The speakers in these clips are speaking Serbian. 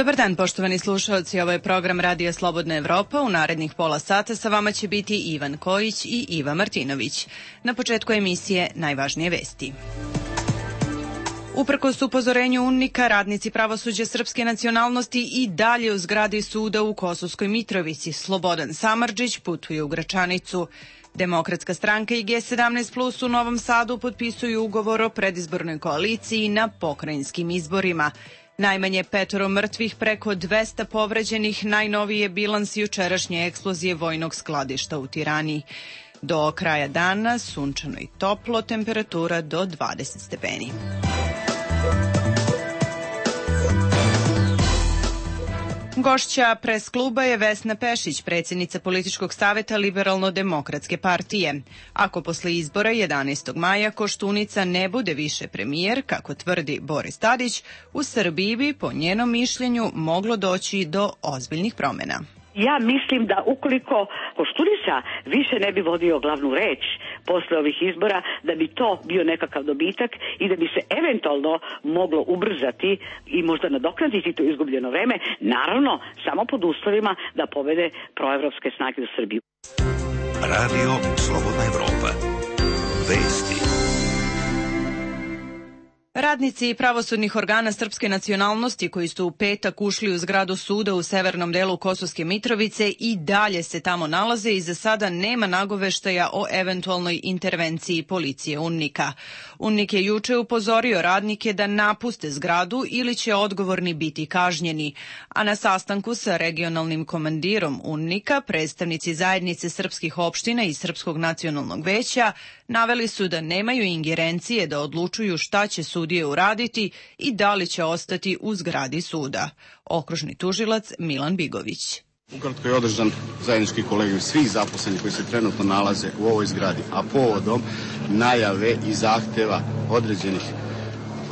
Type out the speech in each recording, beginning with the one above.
Dobar dan, poštovani slušalci, ovo je program Radija Slobodna Evropa. U narednih pola sata sa vama će biti Ivan Kojić i Iva Martinović. Na početku emisije najvažnije vesti. Uprkos upozorenju UNMIK-a, radnici pravosuđa srpske nacionalnosti i dalje u zgradi suda u Kosovskoj Mitrovici. Slobodan Samardžić putuje u Gračanicu. Demokratska stranka i G17 Plus u Novom Sadu potpisuju ugovor o predizbornoj koaliciji na pokrajinskim izborima. Najmanje 5 mrtvih, preko 200 povređenih, najnoviji je bilans jučerašnje eksplozije vojnog skladišta u Tirani. Do kraja dana sunčano i toplo, temperatura do 20 stepeni. Gošća pres kluba je Vesna Pešić, predsjednica političkog saveta Liberalno-demokratske partije. Ako posle izbora 11. maja Koštunica ne bude više premijer, kako tvrdi Boris Tadić, u Srbiji bi, po njenom mišljenju, moglo doći do ozbiljnih promjena. Ja mislim da ukoliko Koštunica više ne bi vodio glavnu reč posle ovih izbora, da bi to bio nekakav dobitak i da bi se eventualno moglo ubrzati i možda nadoknaditi to izgubljeno vreme, naravno samo pod uslovima da pobede proevropske snage u Srbiji. Radio Slobodna Evropa. Vesti. Radnici pravosudnih organa srpske nacionalnosti koji su u petak ušli u zgradu suda u severnom delu Kosovske Mitrovice i dalje se tamo nalaze i za sada nema nagoveštaja o eventualnoj intervenciji policije UNMIK-a. UNMIK je juče upozorio radnike da napuste zgradu ili će odgovorni biti kažnjeni, a na sastanku sa regionalnim komandirom UNMIK-a predstavnici zajednice srpskih opština i Srpskog nacionalnog veća naveli su da nemaju ingerencije da odlučuju šta će sudije uraditi i da li će ostati u zgradi suda. Okružni tužilac Milan Bigović. Ukratko je održan zajednički kolegijum svih zaposlenih koji se trenutno nalaze u ovoj zgradi, a povodom najave i zahteva određenih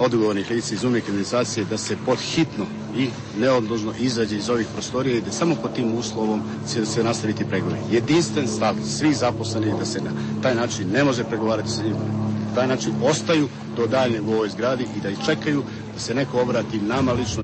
odgovornih lica iz UNMIK administracije da se podhitno i neodložno izađe iz ovih prostorija i da samo pod tim uslovom će se nastaviti pregovori. Jedinstven stav svih zaposlenih da se na taj način ne može pregovarati sa njima. Na taj način ostaju do daljnjeg u ovoj zgradi i da ih čekaju da se neko obrati nama lično.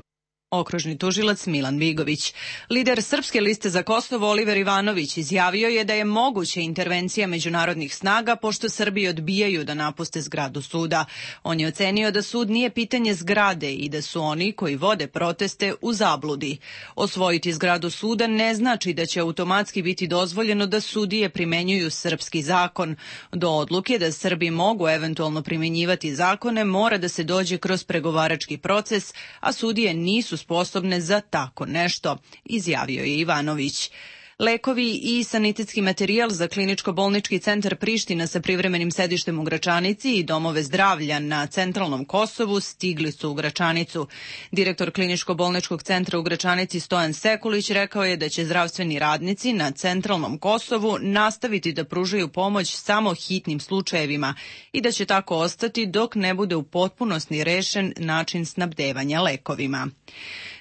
Okružni tužilac Milan Bigović. Lider Srpske liste za Kosovo Oliver Ivanović izjavio je da je moguća intervencija međunarodnih snaga pošto Srbi odbijaju da napuste zgradu suda. On je ocenio da sud nije pitanje zgrade i da su oni koji vode proteste u zabludi. Osvojiti zgradu suda ne znači da će automatski biti dozvoljeno da sudije primenjuju srpski zakon. Do odluke da Srbi mogu eventualno primenjivati zakone mora da se dođe kroz pregovarački proces, a sudije nisu sposobne za tako nešto, izjavio je Ivanović. Lekovi i sanitetski materijal za kliničko-bolnički centar Priština sa privremenim sedištem u Gračanici i domove zdravlja na centralnom Kosovu stigli su u Gračanicu. Direktor kliničko-bolničkog centra u Gračanici Stojan Sekulić rekao je da će zdravstveni radnici na centralnom Kosovu nastaviti da pružaju pomoć samo hitnim slučajevima i da će tako ostati dok ne bude u potpunosti rešen način snabdevanja lekovima.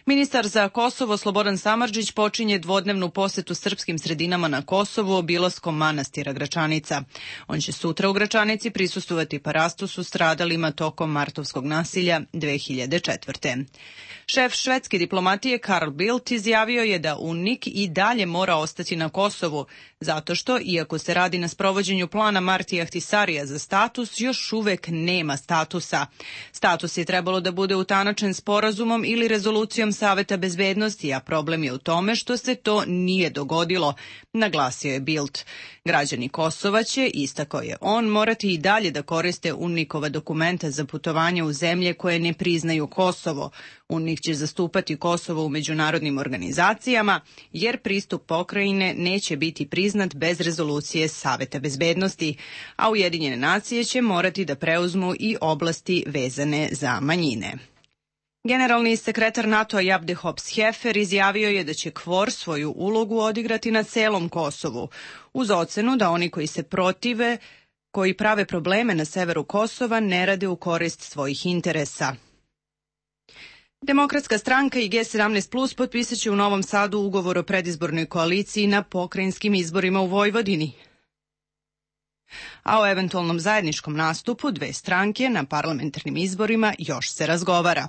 Ministar za Kosovo Slobodan Samardžić počinje dvodnevnu posetu srpskim sredinama na Kosovu obilaskom manastira Gračanica. On će sutra u Gračanici prisustvovati parastosu stradalima tokom martovskog nasilja 2004. Šef švedske diplomatije Carl Bildt izjavio je da UNMIK i dalje mora ostati na Kosovu, zato što, iako se radi na sprovođenju plana Martija Ahtisarija za status, još uvek nema statusa. Status je trebalo da bude utanačen sporazumom ili rezolucijom Saveta bezbednosti, a problem je u tome što se to nije dogodilo, naglasio je Bildt. Građani Kosova će, istakao je on, morati i dalje da koriste UNMIK-ova dokumenta za putovanje u zemlje koje ne priznaju Kosovo. UNMIK će zastupati Kosovo u međunarodnim organizacijama, jer pristup pokrajine neće biti priznat bez rezolucije Saveta bezbednosti, a Ujedinjene nacije će morati da preuzmu i oblasti vezane za manjine. Generalni sekretar NATO-a Jabde Hops-Hefer izjavio je da će KFOR svoju ulogu odigrati na celom Kosovu, uz ocenu da oni koji se protive, koji prave probleme na severu Kosova, ne rade u korist svojih interesa. Demokratska stranka i G17 Plus potpisat će u Novom Sadu ugovor o predizbornoj koaliciji na pokrajinskim izborima u Vojvodini. A o eventualnom zajedničkom nastupu dve stranke na parlamentarnim izborima još se razgovara.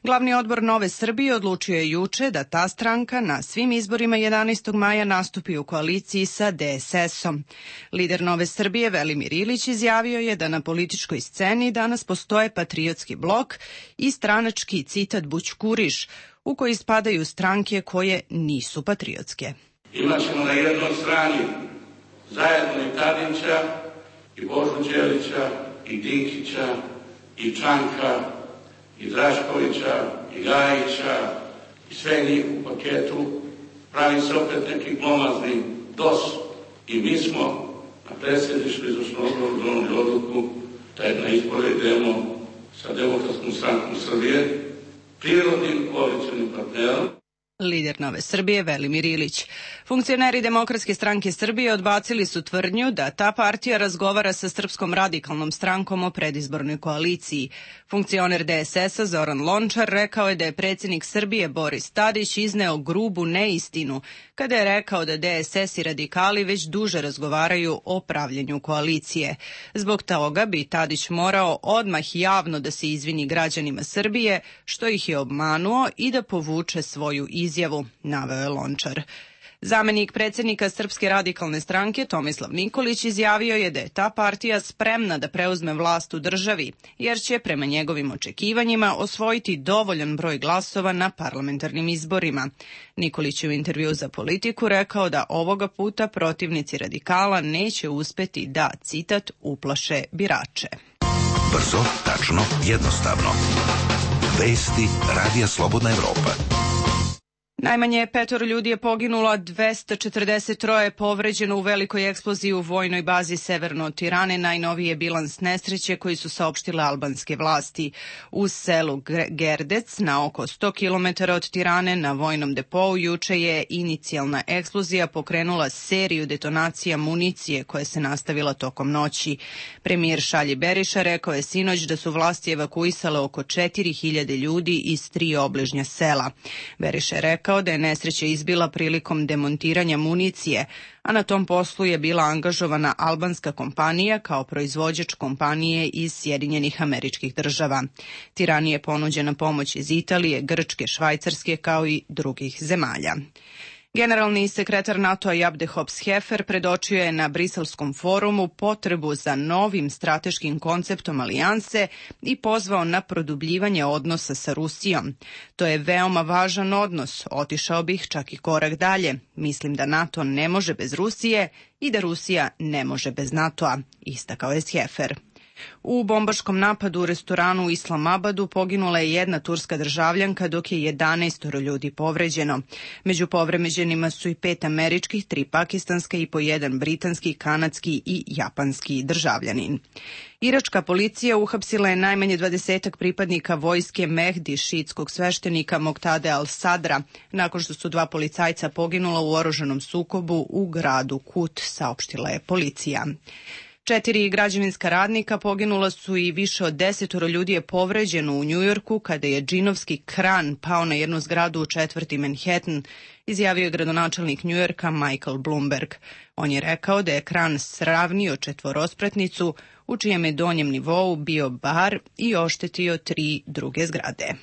Glavni odbor Nove Srbije odlučio je juče da ta stranka na svim izborima 11. maja nastupi u koaliciji sa DSS-om. Lider Nove Srbije Velimir Ilić izjavio je da na političkoj sceni danas postoje patriotski blok i stranački, citat, bućkuriš, u koji spadaju stranke koje nisu patriotske. Imaćemo na jednoj strani zajedno i Tadića, i Božu Đelića, i Dinkića, i Čanka, i Draškovića, i Gajića, i sve njih u paketu. Pravi se opet neki glomazni DOS i mi smo na predsjedništvu izvršnog odbora donijeli odluku da na izbore idemo sa Demokratskom strankom Srbije, prirodnim koalicionim partnerom. Lider Nove Srbije Velimir Ilić. Funkcioneri Demokratske stranke Srbije odbacili su tvrdnju da ta partija razgovara sa Srpskom radikalnom strankom o predizbornoj koaliciji. Funkcioner DSS-a Zoran Lončar rekao je da je predsjednik Srbije Boris Tadić izneo grubu neistinu kada je rekao da DSS i radikali već duže razgovaraju o pravljenju koalicije. Zbog toga bi Tadić morao odmah javno da se izvini građanima Srbije što ih je obmanuo i da povuče svoju izjavu, naveo je Lončar. Zamenik predsjednika Srpske radikalne stranke Tomislav Nikolić izjavio je da je ta partija spremna da preuzme vlast u državi, jer će prema njegovim očekivanjima osvojiti dovoljan broj glasova na parlamentarnim izborima. Nikolić je u intervju za Politiku rekao da ovoga puta protivnici radikala neće uspeti da, citat, uplaše birače. Brzo, tačno, jednostavno. Vesti Radija Slobodna Evropa. Najmanje 5 ljudi je poginulo, 243 je povređeno u velikoj eksploziji u vojnoj bazi severno od Tirane. Najnoviji je bilans nesreće koji su saopštile albanske vlasti. U selu Gerdec, na oko 100 km od Tirane, na vojnom depou, juče je inicijalna eksplozija pokrenula seriju detonacija municije koja se nastavila tokom noći. Premijer Šalji Beriša rekao je sinoć da su vlasti evakuisale oko 4000 ljudi iz 3 obližnja sela. Beriša je rekao da je nesreća izbila prilikom demontiranja municije, a na tom poslu je bila angažovana albanska kompanija kao proizvođač kompanije iz Sjedinjenih Američkih Država. Tirani je ponuđena pomoć iz Italije, Grčke, Švajcarske kao i drugih zemalja. Generalni sekretar NATO-a Jabde Hops-Hefer predočio je na Briselskom forumu potrebu za novim strateškim konceptom alijanse i pozvao na produbljivanje odnosa sa Rusijom. To je veoma važan odnos, otišao bih čak i korak dalje. Mislim da NATO ne može bez Rusije i da Rusija ne može bez NATO-a, istakao je Hefer. U bombaškom napadu u restoranu u Islamabadu poginula je jedna turska državljanka, dok je 11 ljudi povređeno. Među povređenima su i 5 američkih, 3 pakistanska i po 1 britanski, kanadski i japanski državljanin. Iračka policija uhapsila je najmanje 20 pripadnika vojske Mehdi, šiitskog sveštenika Moktade al-Sadra, nakon što su 2 policajca poginula u oružanom sukobu u gradu Kut, saopštila je policija. 4 građevinska radnika poginula su i više od 10 ljudi je povređeno u Njujorku kada je džinovski kran pao na jednu zgradu u četvrti Manhattan, izjavio je gradonačelnik Njujorka Michael Bloomberg. On je rekao da je kran sravnio četvorospratnicu u čijem je donjem nivou bio bar i oštetio 3 druge zgrade.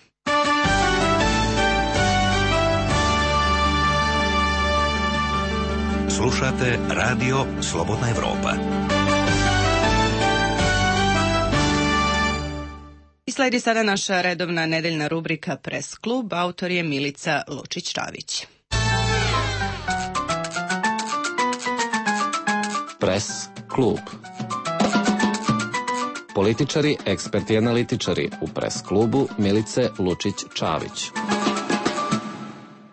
Slušate Radio Slobodna Evropa. I sledi sada naša redovna nedeljna rubrika Press klub, autor je Milica Lučić-Čavić. Press klub. Političari, eksperti i analitičari u Press klubu Milice Lučić-Čavić.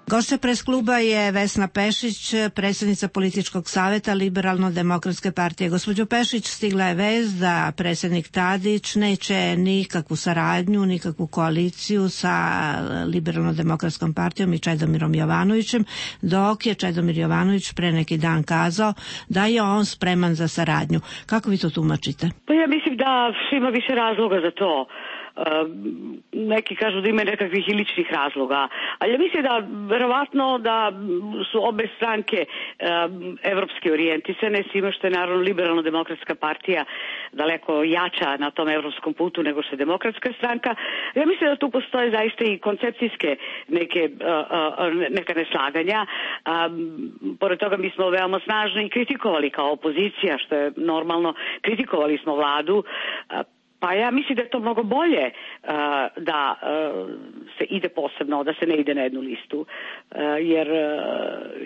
Gošća Press kluba je Vesna Pešić, predsjednica političkog savjeta Liberalno-demokratske partije. Gospođo Pešić, stigla je vest da predsjednik Tadić neće nikakvu saradnju, nikakvu koaliciju sa Liberalno-demokratskom partijom i Čedomirom Jovanovićem, dok je Čedomir Jovanović pre neki dan kazao da je on spreman za saradnju. Kako vi to tumačite? Pa ja mislim da ima više razloga za to. neki kažu da ima nekakvih i ličnih razloga, ali ja mislim da verovatno da su obe stranke evropski orijentisane, s time što je naravno Liberalno-demokratska partija daleko jača na tom evropskom putu nego što je Demokratska stranka. Ja mislim da tu postoje zaista i koncepcijske neka neslaganja. Pored toga mi smo veoma snažno i kritikovali kao opozicija, što je normalno, kritikovali smo vladu. Pa ja mislim da je to mnogo bolje da se ide posebno, da se ne ide na jednu listu, jer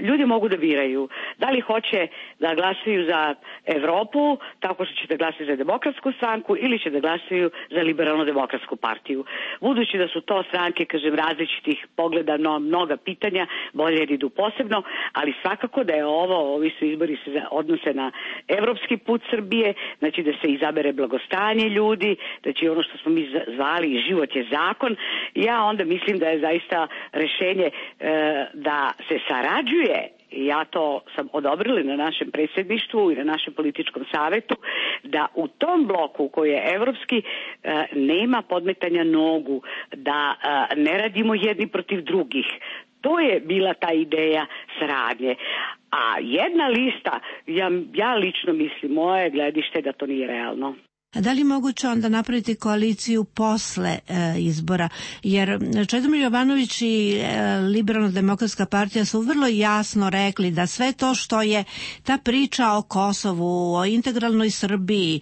ljudi mogu da biraju da li hoće da glasaju za Evropu, tako što će da glasaju za Demokratsku stranku ili će da glasaju za Liberalno-demokratsku partiju. Budući da su to stranke, kažem, različitih pogleda na mnoga pitanja, bolje jer idu posebno, ali svakako da je ovi su izbori se odnose na evropski put Srbije, znači da se izabere blagostanje ljudi, znači ono što smo mi zvali život je zakon. Ja onda mislim da je zaista rešenje da se sarađuje, i ja to sam odobrila na našem predsjedništvu i na našem političkom savetu, da u tom bloku koji je evropski nema podmetanja nogu, da ne radimo jedni protiv drugih. To je bila ta ideja saradnje. A jedna lista, ja lično mislim, moje gledište da to nije realno. A da li je moguće onda napraviti koaliciju posle izbora? Jer Čedomir Jovanović i Liberalno-demokratska partija su vrlo jasno rekli da sve to što je ta priča o Kosovu, o integralnoj Srbiji,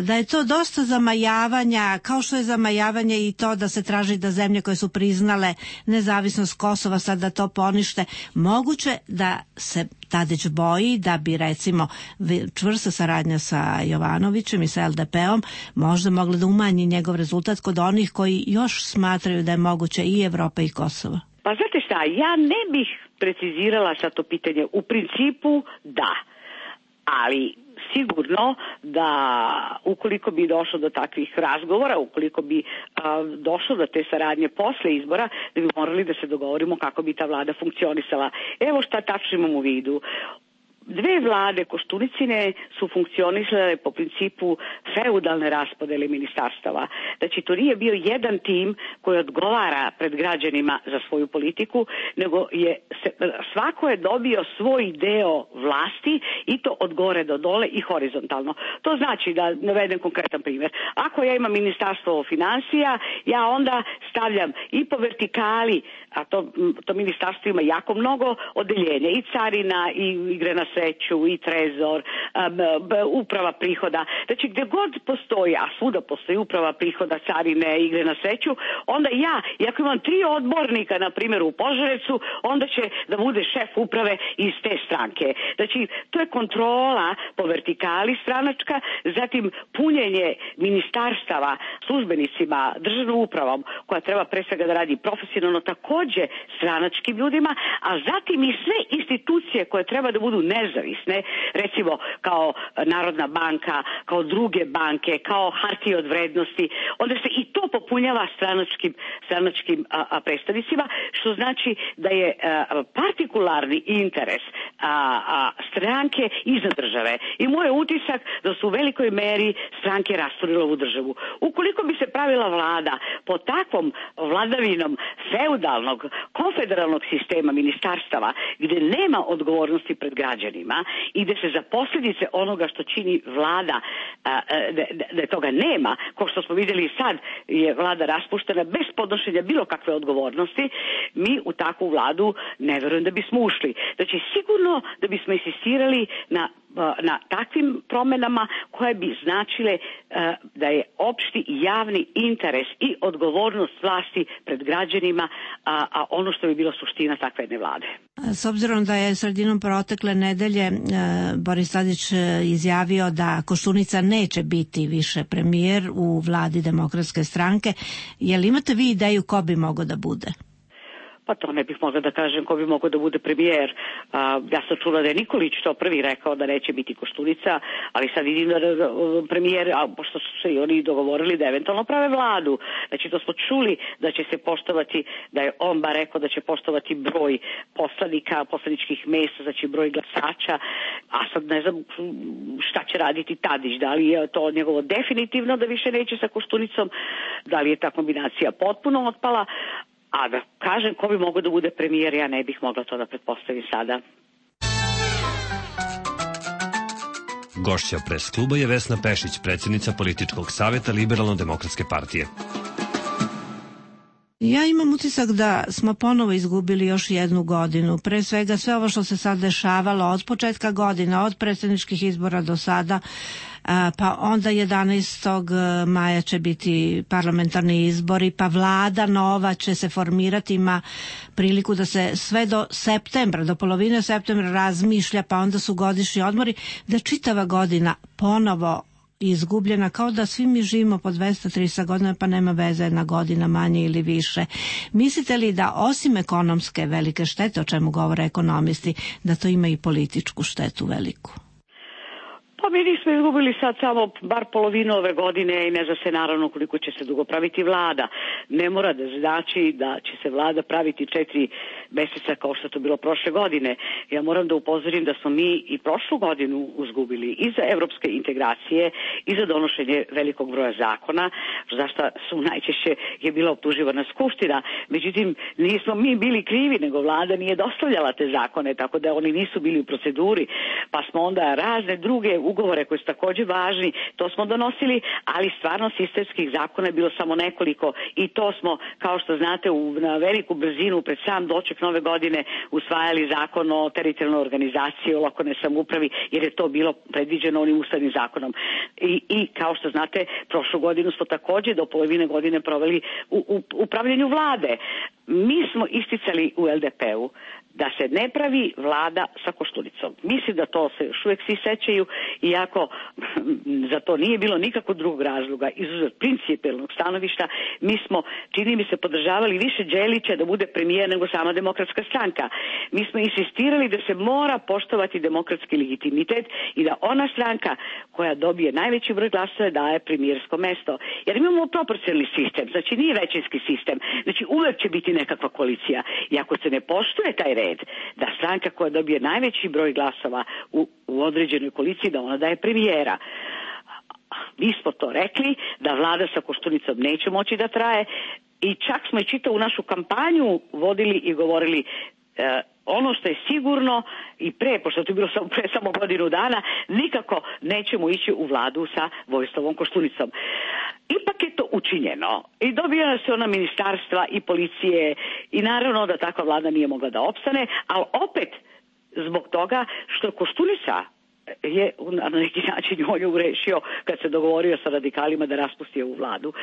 da je to dosta zamajavanja, kao što je zamajavanje i to da se traži da zemlje koje su priznale nezavisnost Kosova sad da to ponište. Moguće da se Tadić boji da bi recimo čvrsta saradnja sa Jovanovićem i sa LDP-om možda mogla da umanji njegov rezultat kod onih koji još smatraju da je moguće i Evropa i Kosovo. Pa znate šta, ja ne bih precizirala sad to pitanje. U principu da, ali sigurno da ukoliko bi došlo do takvih razgovora, ukoliko bi došlo do te saradnje posle izbora, da bi morali da se dogovorimo kako bi ta vlada funkcionisala. Evo šta tačno imam u vidu. Dve vlade Koštunicine su funkcionisale po principu feudalne raspodele ministarstava. Znači, to nije bio jedan tim koji odgovara pred građanima za svoju politiku, nego svako je dobio svoj deo vlasti i to od gore do dole i horizontalno. To znači, da navedem konkretan primjer. Ako ja imam ministarstvo finansija, ja onda stavljam i po vertikali, a to ministarstvo ima jako mnogo odeljenja, i carina, i igre na sreću, i trezor, uprava prihoda. Znači, gdje god postoji, a svuda postoji uprava prihoda, carine, igre na sreću, onda i ako imam 3 odbornika, na primjer u Požarecu, onda će da bude šef uprave iz te stranke. Znači, to je kontrola po vertikali stranačka, zatim punjenje ministarstava službenicima, državnom upravom, koja treba pre svega da radi profesionalno, takođe stranačkim ljudima, a zatim i sve institucije koje treba da budu nezavisne, recimo kao Narodna banka, kao druge banke, kao hartije od vrednosti, onda se i to popunjava stranačkim predstavnicima, što znači da je partikularni interes stranke iznad države. I moj je utisak da su u velikoj meri stranke rasturile ovu državu. Ukoliko bi se pravila vlada po takvom vladavinom feudalnog, konfederalnog sistema ministarstava, gde nema odgovornosti pred građanima i gde se za posljedice onoga što čini vlada, da toga nema, kao što smo vidjeli sad je vlada raspuštena bez podnošenja bilo kakve odgovornosti, mi u takvu vladu ne verujem da bismo ušli. Znači, sigurno da bismo insistirali na takvim promenama koje bi značile da je opšti javni interes i odgovornost vlasti pred građanima, a ono što bi bilo suština takve jedne vlade. S obzirom da je sredinom protekle nedelje Boris Tadić izjavio da Koštunica neće biti više premijer u vladi Demokratske stranke, je li imate vi ideju ko bi mogao da bude? Pa to ne bih mogla da kažem ko bi mogao da bude premijer. Ja sam čula da je Nikolić to prvi rekao da neće biti Koštunica, ali sad vidim da premijer, pošto su se i oni dogovorili da eventualno prave vladu. Znači to smo čuli da će se poštovati, da je on bar rekao da će poštovati broj poslanika, poslaničkih mesta, znači broj glasača, a sad ne znam šta će raditi Tadić, da li je to njegovo definitivno da više neće sa Koštunicom, da li je ta kombinacija potpuno otpala. A da kažem ko bi mogao da bude premijer, ja ne bih mogla to da pretpostavim sada. Gošća pres kluba je Vesna Pešić, predsjednica političkog saveta Liberalno-demokratske partije. Ja imam utisak da smo ponovo izgubili još jednu godinu. Pre svega sve ovo što se sad dešavalo od početka godina, od predsjedničkih izbora do sada, pa onda 11. maja će biti parlamentarni izbori, pa vlada nova će se formirati, ima priliku da se sve do septembra, do polovine septembra razmišlja, pa onda su godišnji odmori, da čitava godina ponovo izgubljena, kao da svi mi živimo po 200-300 godina, pa nema veze jedna godina manje ili više. Mislite li da osim ekonomske velike štete, o čemu govore ekonomisti, da to ima i političku štetu veliku? Pa mi nismo izgubili sad samo bar polovinu ove godine i ne zna se naravno koliko će se dugo praviti vlada. Ne mora da znači da će se vlada praviti 4 meseca kao što je to bilo prošle godine. Ja moram da upozorim da smo mi i prošlu godinu izgubili i za evropske integracije i za donošenje velikog broja zakona, zašto su najčešće je bila optuživana Skupština. Međutim, nismo mi bili krivi, nego vlada nije dostavljala te zakone, tako da oni nisu bili u proceduri, pa smo onda razne druge ugovore koji su također važni, to smo donosili, ali stvarno sistemskih zakona je bilo samo nekoliko i to smo, kao što znate, na veliku brzinu pred sam doček nove godine usvajali zakon o teritorijalnoj organizaciji, o lokalnoj samoupravi, jer je to bilo predviđeno onim ustavnim zakonom. I kao što znate, prošlu godinu smo također do polovine godine proveli u upravljanju vlade. Mi smo isticali u LDP-u da se ne pravi vlada sa Koštunicom. Mislim da to se još uvijek svi sećaju, iako za to nije bilo nikakvog drugog razloga, izuzev principijelnog stanovišta. Mi smo, čini mi se, podržavali više Đelića da bude premijer nego sama Demokratska stranka. Mi smo insistirali da se mora poštovati demokratski legitimitet i da ona stranka koja dobije najveći broj glasova daje premijersko mesto. Jer imamo proporcionalni sistem, znači nije većinski sistem, znači uvek će biti nekakva koalicija. I ako se ne poštuje taj red, da stranka koja dobije najveći broj glasova u određenoj koaliciji, da ona daje premijera. Mi smo to rekli, da vlada sa Koštunicom neće moći da traje i čak smo i čitavu našu kampanju vodili i govorili ono što je sigurno i pošto to je bilo pre samo godinu dana, nikako nećemo ići u vladu sa Vojislavom Koštunicom. Ipak je to učinjeno i dobijala se ona ministarstva i policije i naravno da takva vlada nije mogla da opstane, ali opet zbog toga što Koštunica je na neki način on je urešio kad se dogovorio sa radikalima da raspusti ovu vladu.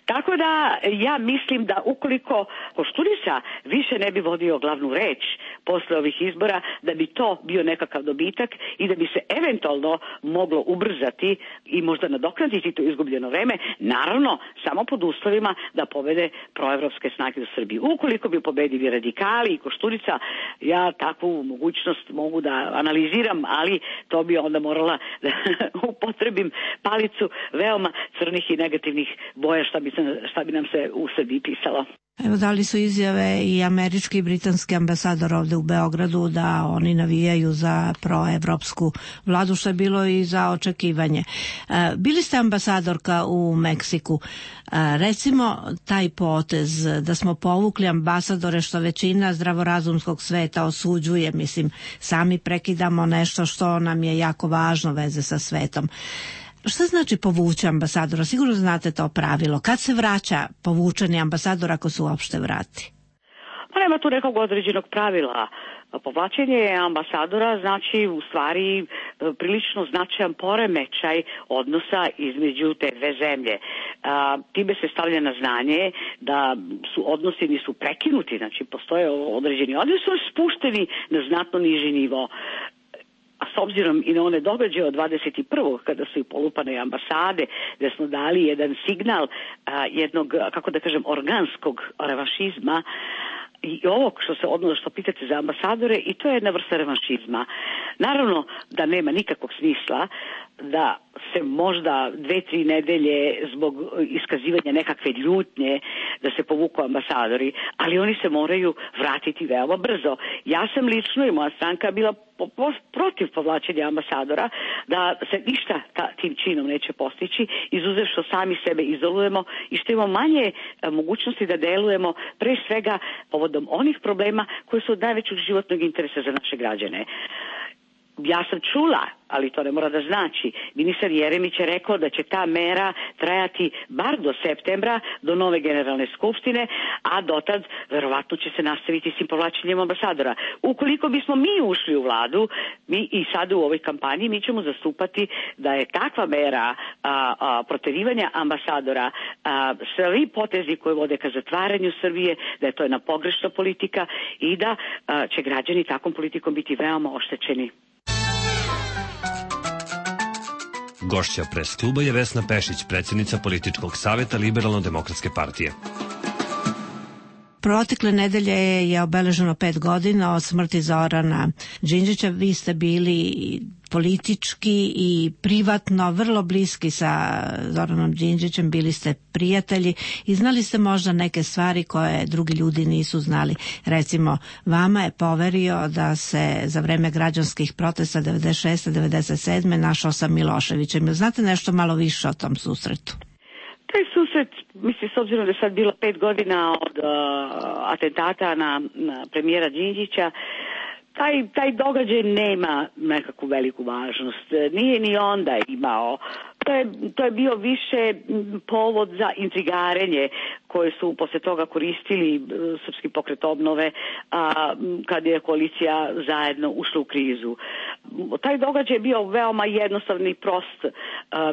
Tako da ja mislim da ukoliko Koštunica više ne bi vodio glavnu reč posle ovih izbora, da bi to bio nekakav dobitak i da bi se eventualno moglo ubrzati i možda nadoknaditi to izgubljeno vreme, naravno samo pod uslovima da pobede proevropske snage u Srbiji. Ukoliko bi pobedili radikali i Koštunica, ja takvu mogućnost mogu da analiziram, ali to bi onda morala da upotrebim palicu veoma crnih i negativnih boja šta bi nam se u Srbiji pisalo. Evo, dali su izjave i američki i britanski ambasador ovde u Beogradu da oni navijaju za proevropsku vladu, što je bilo i za očekivanje. Bili ste ambasadorka u Meksiku. Recimo, taj potez da smo povukli ambasadore, što većina zdravorazumskog sveta osuđuje, mislim, sami prekidamo nešto što nam je jako važno veze sa svetom. Šta znači povući ambasadora? Sigurno znate to pravilo. Kad se vraća povučeni ambasador ako se uopšte vrati? Pa nema tu nekog određenog pravila. Povlačenje ambasadora znači u stvari prilično značajan poremećaj odnosa između te dve zemlje. Time se stavlja na znanje da su odnosi nisu prekinuti, znači postoje određeni odnosi, su spušteni na znatno niži nivo. A s obzirom i na one događaje od 21. kada su i polupane ambasade, da smo dali jedan signal jednog, kako da kažem, organskog revanšizma, i ovo što pitate za ambasadore, i to je jedna vrsta revanšizma. Naravno da nema nikakvog smisla da se možda 2-3 nedelje zbog iskazivanja nekakve ljutnje da se povuku ambasadori, ali oni se moraju vratiti veoma brzo. Ja sam lično i moja stranka bila protiv povlačenja ambasadora, da se ništa tim činom neće postići, izuzev što sami sebe izolujemo i što imamo manje mogućnosti da delujemo pre svega povodom onih problema koji su od najvećeg životnog interesa za naše građane. Ja sam čula, ali to ne mora da znači, ministar Jeremić je rekao da će ta mera trajati bar do septembra, do nove generalne skupštine, a dotad verovatno će se nastaviti s tim povlačenjem ambasadora. Ukoliko bismo mi ušli u vladu, mi i sada u ovoj kampanji, mi ćemo zastupati da je takva mera proterivanja ambasadora, svi potezi koje vode ka zatvaranju Srbije, da je to jedna pogrešna politika i da će građani takvom politikom biti veoma oštećeni. Gošća pres kluba je Vesna Pešić, predsjednica političkog saveta Liberalno-demokratske partije. Protekle nedelje je obeleženo 5 godina od smrti Zorana Đinđića. Vi ste bili politički i privatno vrlo bliski sa Zoranom Đinđićem, bili ste prijatelji i znali ste možda neke stvari koje drugi ljudi nisu znali. Recimo, vama je poverio da se za vreme građanskih protesta 96. 97. našao sa Miloševićem. Znate nešto malo više o tom susretu? Taj susret, mislim, s obzirom da je sad bilo 5 godina od atentata na premijera Đinđića, taj događaj nema nekakvu veliku važnost. Nije ni onda imao. To je bio više povod za intrigarenje koje su posle toga koristili Srpski pokret obnove kad je koalicija zajedno ušla u krizu. Taj događaj je bio veoma jednostavni i prost.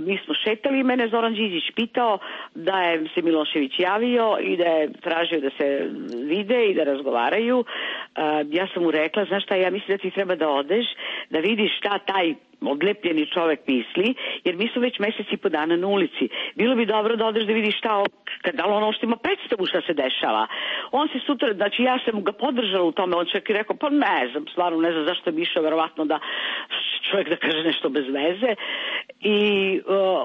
Mi smo šetali i mene Zoran Đinđić pitao da je se Milošević javio i da je tražio da se vide i da razgovaraju. Ja sam mu rekla, znaš šta, ja mislim da ti treba da odeš, da vidiš šta taj odlepljeni čovek misli, jer mi smo već mesec i po dana na ulici. Bilo bi dobro da odeš da vidiš da li ono što ima predstavu šta se dešava. On se sutra, znači ja sam ga podržala u tome, on čak i rekao, pa ne znam, stvarno ne znam zašto bi išao, verovatno da čovjek da kaže nešto bez veze. I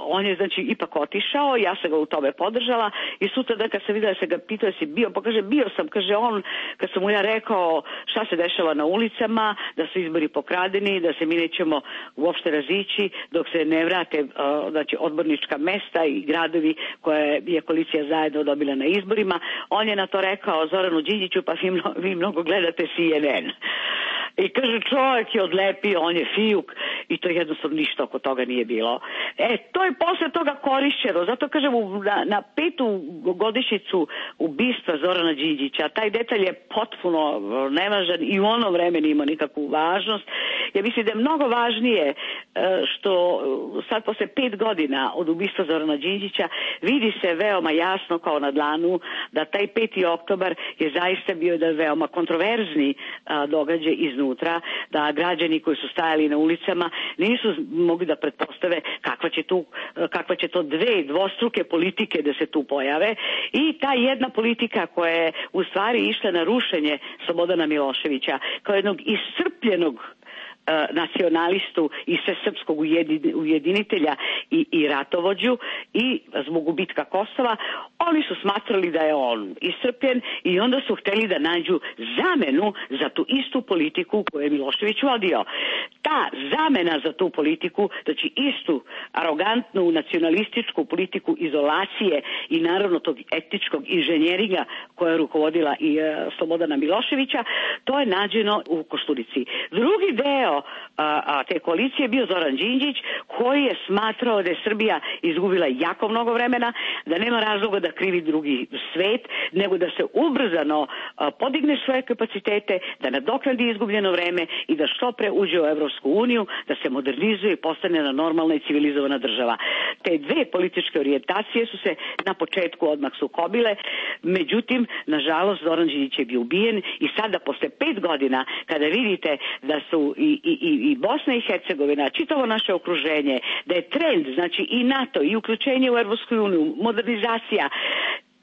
on je znači ipak otišao, ja sam ga u tome podržala i sutra da kad sam videla se ga pitao da si bio, pa kaže bio sam, kaže on, kad sam mu ja rekao šta se dešava na ulicama, da su izbori pokradeni, da se mi nećemo uopšte razići dok se ne vrate znači odbornička mesta i gradovi koje je koalicija zajedno dobila na izborima. On je na to rekao Zoranu Đinđiću, pa vi mnogo gledate CNN. I kaže, čovjek je odlepio, on je fijuk i to jednostavno ništa oko toga nije bilo. To je posle toga korišćeno, zato kažem na 5. godišnjicu ubistva Zorana Đinđića, taj detalj je potpuno nevažan i u ono vreme nije imao nikakvu važnost. Ja mislim da je mnogo važnije što sad posle 5 godina od ubistva Zorana Đinđića vidi se veoma jasno kao na dlanu da taj 5. oktobar je zaista bio da veoma kontroverzni događaj iznutra, da građani koji su stajali na ulicama nisu mogli da pretpostave kakva će to dvostruke politike da se tu pojave i ta jedna politika koja je u stvari išla na rušenje Slobodana Miloševića kao jednog iscrpljenog nacionalistu i svesrpskog ujedinitelja i ratovođu i zbog gubitka Kosova, oni su smatrali da je on iscrpljen i onda su hteli da nađu zamenu za tu istu politiku koju je Milošević vodio. Ta zamena za tu politiku, znači istu arogantnu nacionalističku politiku izolacije i naravno tog etničkog inženjeringa koja je rukovodila i Slobodana Miloševića, to je nađeno u Koštunici. Drugi deo te koalicije bio Zoran Đinđić koji je smatrao da je Srbija izgubila jako mnogo vremena, da nema razloga da krivi drugi svet, nego da se ubrzano podigne svoje kapacitete, da nadoknadi izgubljeno vreme i da što pre uđe u Evropsku uniju, da se modernizuje i postane na normalna i civilizovana država. Te dve političke orijentacije su se na početku odmah sukobile, međutim, nažalost, Zoran Đinđić je bio ubijen i sada posle 5 godina, kada vidite da su i Bosna i Hercegovina, čitavo naše okruženje, da je trend, znači i NATO i uključenje u Evropsku uniju, modernizacija,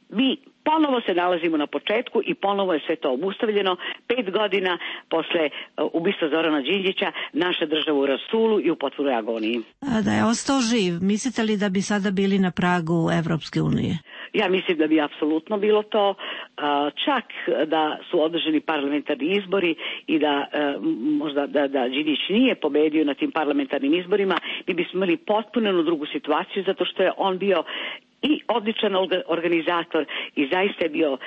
mi ponovo se nalazimo na početku i ponovo je sve to obustavljeno. 5 godina posle ubistva Zorana Đinđića naša država u rasulu i u potpunoj agoniji. Da je ostao živ, mislite li da bi sada bili na pragu Evropske unije? Ja mislim da bi apsolutno bilo to, čak da su održani parlamentarni izbori i da možda da Đinđić nije pobedio na tim parlamentarnim izborima, mi bismo imali potpuno drugu situaciju, zato što je on bio i odličan organizator i zaista je bio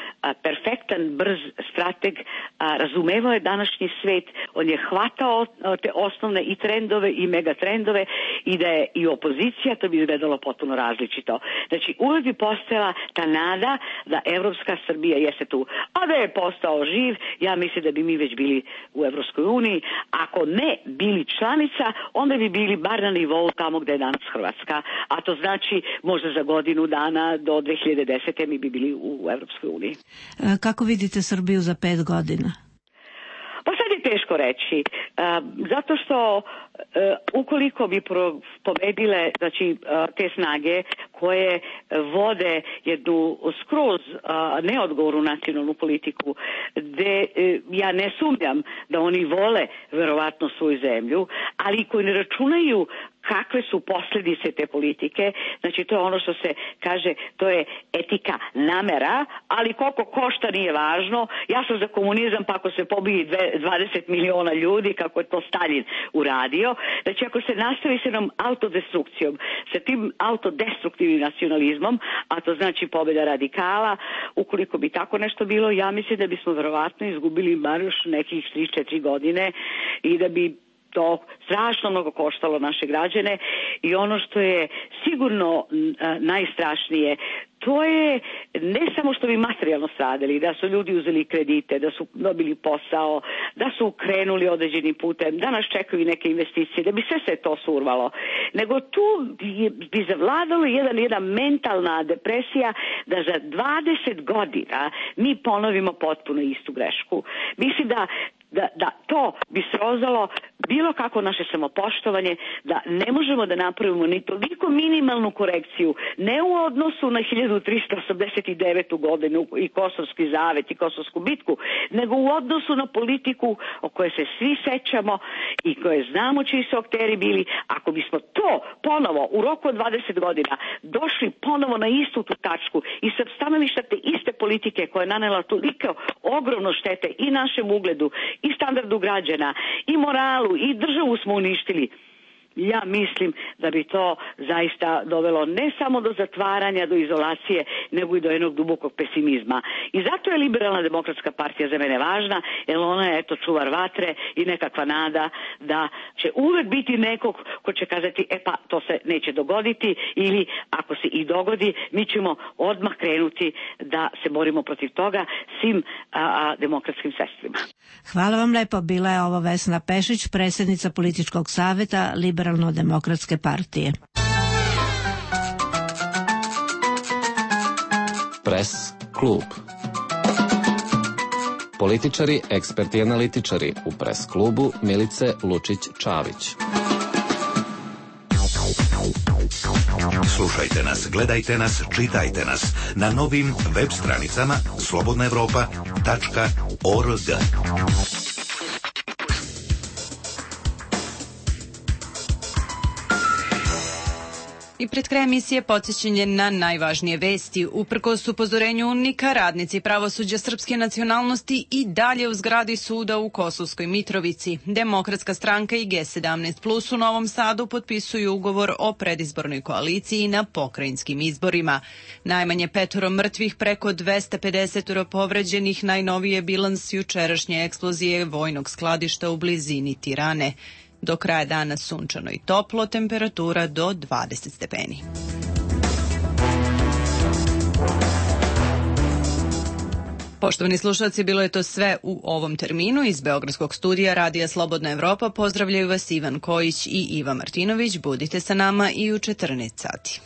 perfektan, brz strateg, razumevao je današnji svet, on je hvatao te osnovne i trendove i megatrendove i da je i opozicija, to bi izgledalo potpuno različito. Znači, uvek bi postojala ta nada da evropska Srbija jeste tu, a da je postao živ, ja mislim da bi mi već bili u Evropskoj uniji. Ako ne bili članica, onda bi bili bar na nivou tamo gde je danas Hrvatska, a to znači možda za godinu dana do 2010. mi bi bili u Evropskoj uniji. Kako vidite Srbiju za 5 godina? Pa sad je teško reći, zato što ukoliko bi pobedile, znači, te snage koje vode jednu skroz neodgovornu nacionalnu politiku, gde ja ne sumnjam da oni vole verovatno svoju zemlju, ali koji ne računaju kakve su posljedice te politike, znači to je ono što se kaže, to je etika namera, ali koliko košta nije važno, ja sam za komunizam pa ako se pobije 20 miliona ljudi, kako je to Stalin uradio, znači ako se nastavi s jednom autodestrukcijom, sa tim autodestruktivnim nacionalizmom, a to znači pobjeda radikala, ukoliko bi tako nešto bilo, ja mislim da bismo verovatno izgubili bar još nekih 3-4 godine i da bi to strašno mnogo koštalo naše građane i ono što je sigurno najstrašnije, to je ne samo što bi materijalno stradali, da su ljudi uzeli kredite, da su dobili posao, da su krenuli određenim putem, da nas čekaju neke investicije, da bi sve se to survalo, nego tu bi zavladalo jedna mentalna depresija da za 20 godina mi ponovimo potpuno istu grešku. Mislim da to bi srozalo bilo kako naše samopoštovanje, da ne možemo da napravimo ni toliko minimalnu korekciju, ne u odnosu na 1389. godinu i Kosovski zavet i Kosovsku bitku, nego u odnosu na politiku o kojoj se svi sećamo i koje znamo čiji su akteri bili. Ako bismo to ponovo u roku od 20 godina došli ponovo na istu tu tačku i sa stanovišta te iste politike koja je nanela toliko ogromno štete i našem ugledu i standardu građana, i moralu, i državu smo uništili. Ja mislim da bi to zaista dovelo ne samo do zatvaranja, do izolacije, nego i do jednog dubokog pesimizma. I zato je Liberalna demokratska partija za mene važna, jer ona je čuvar vatre i nekakva nada da će uvek biti nekog ko će kazati, pa to se neće dogoditi, ili ako se i dogodi, mi ćemo odmah krenuti da se borimo protiv toga svim demokratskim sredstvima. Hvala vam lepo, bila je ovo Vesna Pešić, predsjednica političkog saveta Liberalno-demokratske partije. Pres klub. Političari, eksperti i analitičari u Pres klubu Milice Lučić-Čavić. Slušajte nas, gledajte nas, čitajte nas na novim web stranicama slobodnaevropa.org. I pred kraj emisije podsjećanje na najvažnije vesti. Uprkos upozorenju UNMIK-a, radnici pravosuđa srpske nacionalnosti i dalje u zgradi suda u Kosovskoj Mitrovici. Demokratska stranka i G17+ u Novom Sadu potpisuju ugovor o predizbornoj koaliciji na pokrajinskim izborima. Najmanje 5 mrtvih, preko 250 povređenih, najnoviji je bilans jučerašnje eksplozije vojnog skladišta u blizini Tirane. Do kraja dana sunčano i toplo, temperatura do 20 stepeni. Poštovani slušalci, bilo je to sve u ovom terminu. Iz Beogradskog studija Radija Slobodna Evropa pozdravljaju vas Ivan Kojić i Iva Martinović. Budite sa nama i u 14 sati.